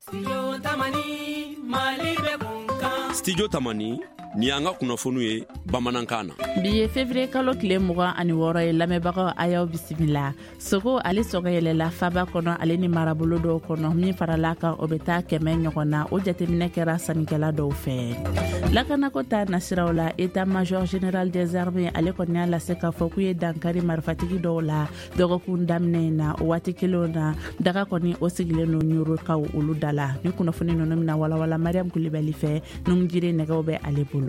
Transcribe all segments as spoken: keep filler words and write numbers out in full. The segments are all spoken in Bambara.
Studio Tamani ni y'an ka kunnafoniw ye bamanankan na. Bi ye février kalo tile mugan ani wɔɔrɔ ye. Lamɛnbagaw, a y'aw bisimila. Sogo ale sɔngɔ yɛlɛla faba kɔnɔ ale ni marabolo dɔw kɔnɔ. Min farala kan, o bɛ taa kɛmɛ ɲɔgɔn na. O jateminɛ kɛra sannikɛla dɔw fɛ. Lakanako ta nasiraw la, état major général des armées ale kɔni y'a lase k'a fɔ k'u ye dankari marifatigi dɔw la dɔgɔkun daminɛ in na. O waati kelenw na, daga kɔni o sigilen don Ɲorokaw olu da la. Ni kunnafoni ninnu bɛna walawala Mariam Kulibali fɛ. Numujire nɛgɛw bɛ ale bolo.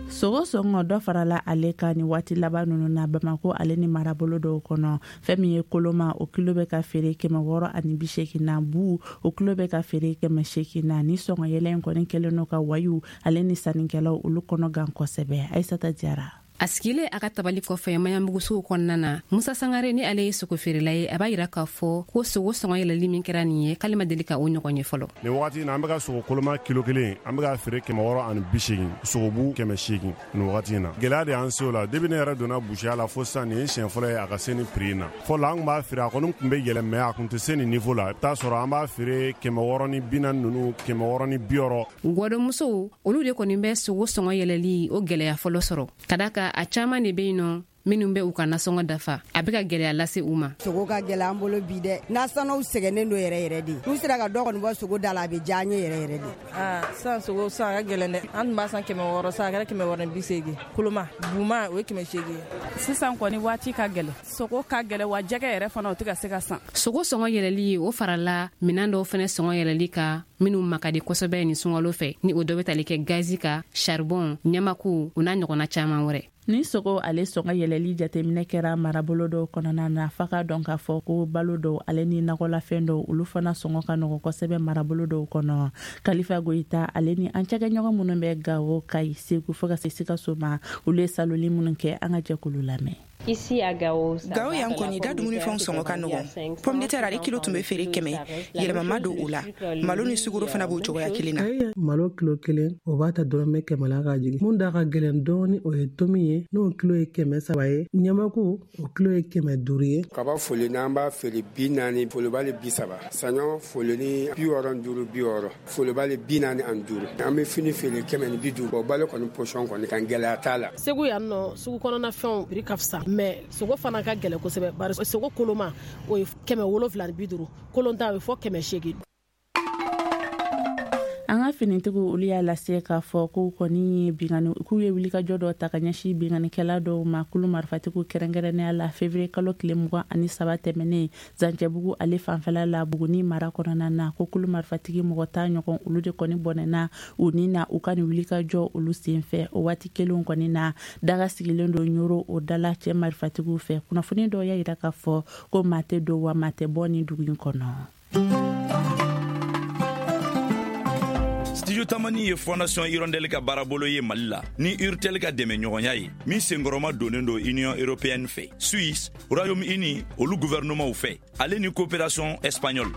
Sogo sɔngɔ dɔ farala ale kan ni waati laban ninnu na Bamako ale ni marabolo dɔw kɔnɔ. Fɛn min ye koloma, o kilo bɛ ka feere kɛmɛ wɔɔrɔ ani bi seegin na. Bu, o kilo bɛ ka feere kɛmɛ seegin na. Ni sɔngɔ yɛlɛ in kɔni kɛlen don ka wayiw ale ni sannikɛlaw olu kɔnɔ gan kosɛbɛ. Ayisata Jara. A sigilen a ka tabali kɔfɛ Maɲanbugusugu kɔnɔna na, Musa Sangare ni ale ye sogo feerela ye, a b'a yira k'a fɔ ko sogo sɔngɔ yɛlɛli min kɛra nin ye, k'ale ma deli ka o ɲɔgɔn ye fɔlɔ. Nin wagati in na, an bɛ ka sogo koloma kilo kelen, an bɛ ka feere kɛmɛ wɔɔrɔ ani bi seegin, sogobu kɛmɛ seegin. Nin wagati in na, gɛlɛya de y'an se o la. Depuis ne yɛrɛ donna busiya la fo sisan, nin ye siɲɛ fɔlɔ ye a ka se ni prix in na. Fɔlɔ, an tun b'a feere, a kɔni tun bɛ yɛlɛ, mais a tun tɛ se nin niveau la. I bɛ taa sɔrɔ an b'a feere kɛmɛ wɔɔrɔ ni bi naani ninnu, kɛmɛ wɔɔrɔ ni bi wɔɔrɔ. Gwɔdɔmusow olu de kɔni bɛ sogo sɔngɔ yɛlɛli o gwɛlɛya fɔlɔ sɔrɔ, ka da ka a caaman de be yen nɔ minnu bɛ u ka nasɔngɔ dafa, a bɛ ka gwɛlɛya lase u ma. Sogo ka gɛlɛ an bolo bi dɛ. Nasɔnɔw sɛgɛnnen don yɛrɛ yɛrɛ de. N'u sera ka dɔ kɔni bɔ sogo da la, a bɛ diya an ye yɛrɛ yɛrɛ de. Aa, sisan sogo sisan a ka gɛlɛn dɛ. An tun b'a san kɛmɛ wɔɔrɔ, sisan a kɛra kɛmɛ wɔɔrɔ ni bi seegin. Koloma buma, o ye kɛmɛ seegin ye. Sisan kɔni waati ka gɛlɛn, sogo ka gɛlɛn wa, jɛgɛ yɛrɛ fana o tɛ ka se ka san. Sogo sɔngɔ yɛlɛli, o farala minan dɔw fɛnɛ sɔngɔ yɛlɛli ka minnu makadi kosɛbɛ nin sunkalo fɛ, ni o dɔ bɛ tali kɛ gazi ka, charbon, ɲamaku, o n'a ɲɔgɔnna caaman wɛrɛ. Ni sogo ale sɔngɔ yɛlɛli jateminɛ kɛra marabolo dɔw kɔnɔna na, fa ka dɔn k'a fɔ ko balo dɔw ale ni nakɔlafɛn dɔw, olu fana sɔngɔ ka nɔgɔ kosɛbɛ marabolo dɔw kɔnɔ. Kalifa Goyita ale ni an cakɛɲɔgɔn minnu bɛ Gawo, Kayi, Segu fo ka se Sikaso ma, olu ye saloli minnu kɛ, an ka jɛkulu lamɛn. Gawo yan kɔni da, dumunifɛnw sɔngɔ ka nɔgɔn. Pomme de terre, ale kilo tun bɛ feere kɛmɛ, yɛlɛma don o la. Malo ni sukaro fana b'o cogoya kelen na. Malo kilo kelen, o b'a ta dɔrɔmɛ kɛmɛ la ka jigin. Mun da ka gɛlɛn dɔɔni, o ye tomi ye, n'o kilo ye kɛmɛ saba ye. Ɲamaku, o kilo ye kɛmɛ duuru ye. Kaba foli n'an b'a feere bi naani, folobali bi saba. Saɲɔ foloni bi wɔɔrɔ duuru, bi wɔɔrɔ, folobali bi naani ani duuru. An bɛ fini feere kɛmɛ ni bi duuru. O balo kɔni pɔsɔn kɔni kan, gɛlɛya t'a la. Segu yan nɔ, sugu kɔnɔna fɛnw prix ka fisa, mais sogo fana ka gɛlɛn kosɛbɛ, bari sogo koloma, o ye kɛmɛ wolonfila ni bi duuru, kolonta o ye fɔ kɛmɛ seegin. An ka finitigiw olu y'a lase k'a fɔ k'u kɔni ye bingani, k'u ye wulikajɔ dɔ ta ka ɲɛsin binganikɛla dɔw ma, kulu marifatigiw kɛrɛnkɛrɛnnenya la, février kalo tile mugan ani saba tɛmɛnen, Zancɛbugu ale fanfɛla la, Buguni mara kɔnɔna na, ko kulu marifatigi mɔgɔ tan ɲɔgɔn, olu de kɔni bɔnɛna u ni na u ka nin wulikajɔ olu senfɛ. O waati kelenw kɔni na, daga sigilen don Ɲoro o dala cɛ marifatigiw fɛ. Kunnafoni dɔw y'a yira k'a fɔ ko maa tɛ don wa maa tɛ bɔ nin dugu in kɔnɔ. Studio Tamani ye Fondation Hirondelle ka baarabolo ye Mali la ni Urtel ka dɛmɛ ɲɔgɔnya ye, min senkɔrɔma donnen don Union européenne fɛ, Suisse, Royaume Uni olu gouvernementw fɛ, ale ni coopération espagnole.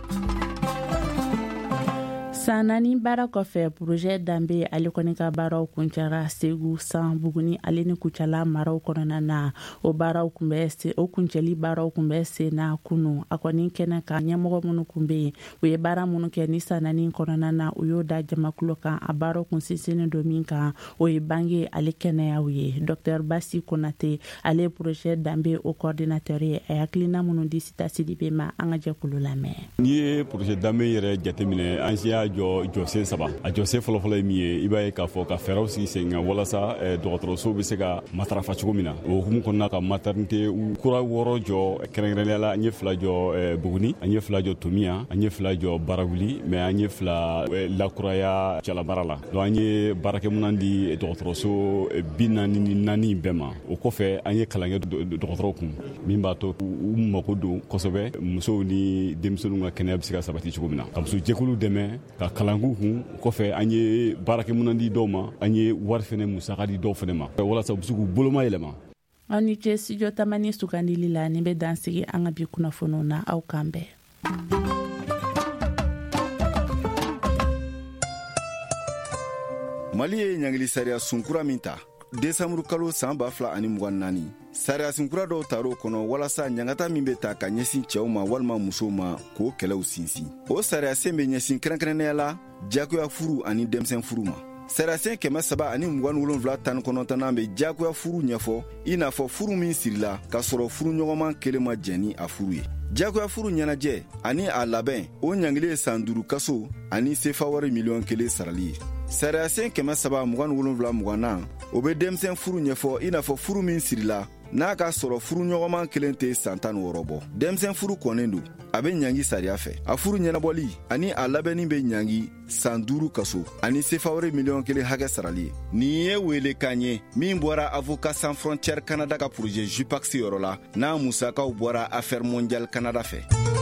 San naani baara kɔfɛ, projet Danbe ale kɔni ka baaraw kuncɛra Segu, San, Buguni ale ni Kucala maraw kɔnɔna na. O baaraw kun bɛ se, o kuncɛli baaraw kun bɛ sen na kunu. A kɔni kɛnɛ kan, ɲɛmɔgɔ minnu kun bɛ yen, u ye baara minnu kɛ ni san naani kɔnɔna na, u y'o da jamakulu kan. A baaraw kun sinsinnen don min kan, o ye bange ale kɛnɛyaw ye. Docteur Basi Konate, ale ye projet Danbe o coordinateur ye, a ye hakilina minnu di Sita Sidibe ma, an ka jɛkulu lamɛn. N'i ye projet Danbe yɛrɛ jateminɛ, an siya jɔ jɔsen saba. A jɔsen fɔlɔfɔlɔ ye min ye, i b'a ye k'a fɔ ka fɛɛrɛw sigi sen kan walasa dɔgɔtɔrɔsow bɛ se ka matarafa cogo min na. O hukumu kɔnɔna, ka maternité kura wɔɔrɔ jɔ. Kɛrɛnkɛrɛnnenya la, an ye fila jɔ Buguni, an ye fila jɔ Tomiya, an ye fila jɔ Barawuli, mais an ye fila lakuraya Jalabara la. Donc an ye baarakɛminɛn di dɔgɔtɔrɔso bi naani ni naani bɛɛ ma. O kɔfɛ, an ye kalan kɛ dɔgɔtɔrɔw kun min b'a to u mako don kosɛbɛ musow ni denmisɛnninw ka kɛnɛya bɛ se ka sabati cogo min na, ka muso jɛkulu dɛmɛ ka kalan k'u kun. O kɔfɛ, an ye baarakɛminɛn di dɔw ma, an ye wari fɛnɛ musaka di dɔw fɛnɛ ma walasa u bɛ se k'u boloma yɛlɛma. Aw ni ce Studio Tamani sugandili la. Nin bɛ dan sigi an ka bi kunnafoniw na. Aw kan bɛn. Mali ye ɲangili sariya sunkura min ta desanburu kalo san ba fila ani mugan naani, sariyasen kura dɔw tar'o kɔnɔ walasa ɲangata min bɛ ta ka ɲɛsin cɛw ma walima musow ma, k'o kɛlɛw sinsin. O sariyasen bɛ ɲɛsin kɛrɛnkɛrɛnnenya la diyagoya furu ani denmisɛn furu ma. Sariyasen kɛmɛ saba ani mugan ni wolonfila tan ni kɔnɔntɔnnan bɛ diyagoya furu ɲɛfɔ, i n'a fɔ furu min sirila k'a sɔrɔ furuɲɔgɔnman kelen ma jɛn ni a furu ye. Diyagoya furu ɲɛnajɛ ani a labɛn, o ɲangili ye san duuru kaso ani sefa wari miliyɔn kelen sarali ye. Sariyasen kɛmɛ saba mugan ni wolonfila mugannan, o bɛ denmisɛn furu ɲɛfɔ, i n'a fɔ furu min sirila n'a k'a sɔrɔ furuɲɔgɔnman kelen tɛ san tan ni wɔɔrɔ bɔ. Denmisɛn furu kɔnnen don, a bɛ ɲangi sariya fɛ. A furu ɲɛnabɔli ani a labɛnni bɛ ɲangi san duuru kaso ani sefawari miliyɔn kelen hakɛ sarali ye. Nin ye welekan ye min bɔra Avocats Sans Frontières Canada ka projet JUPAX yɔrɔ la, n'a musakaw bɔra Affaires mondiales Canada fɛ.